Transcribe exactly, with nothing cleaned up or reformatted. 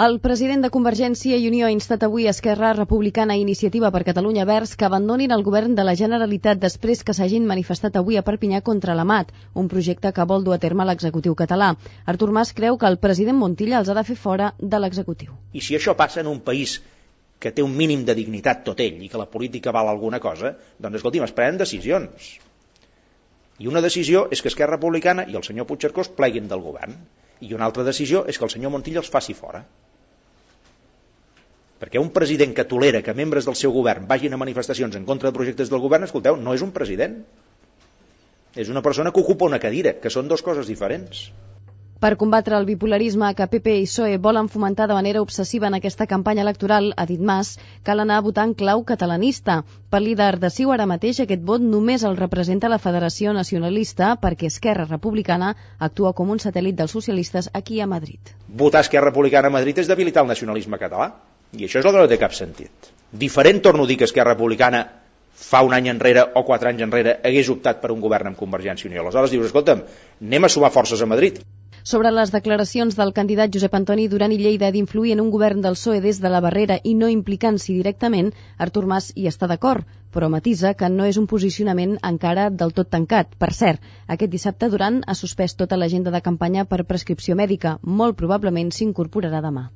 El president de Convergència i Unió ha instat avui Esquerra Republicana i Iniciativa per Catalunya Verds que abandonin el govern de la Generalitat després que s'hagin manifestat avui a Perpinyà contra l'A M A T, un projecte que vol dur a terme l'executiu català. Artur Mas creu que el president Montilla els ha de fer fora de l'executiu. I si això passa en un país que té un mínim de dignitat tot ell i que la política val alguna cosa, doncs escolti'm, es prenen decisions. I una decisió és que Esquerra Republicana i el senyor Puigcercós pleguin del govern. I una altra decisió és que el senyor Montilla els faci fora. Perquè un president que tolera que membres del seu govern vagin a manifestacions en contra de projectes del govern, escolteu, no és un president. És una persona que ocupa una cadira, que són dues coses diferents. Per combatre el bipolarisme que P P i P S O E volen fomentar de manera obsessiva en aquesta campanya electoral, ha dit Mas, cal anar a votar en clau catalanista. Pel líder de C I U ara mateix aquest vot només el representa la Federació Nacionalista perquè Esquerra Republicana actua com un satèl·lit dels socialistes aquí a Madrid. Votar Esquerra Republicana a Madrid és debilitar el nacionalisme català. I això és el que no té cap sentit. Diferent, torno a dir, que Esquerra Republicana fa un any enrere o quatre anys enrere hagués optat per un govern amb Convergència i Unió. Aleshores dius, escolta'm, anem a sumar forces a Madrid. Sobre les declaracions del candidat Josep Antoni Duran i Lleida d'influir en un govern del P S O E des de la barrera i no implicant-s'hi directament, Artur Mas hi està d'acord, però matisa que no és un posicionament encara del tot tancat. Per cert, aquest dissabte Duran ha suspès tota l'agenda de campanya per prescripció mèdica. Molt probablement s'incorporarà demà.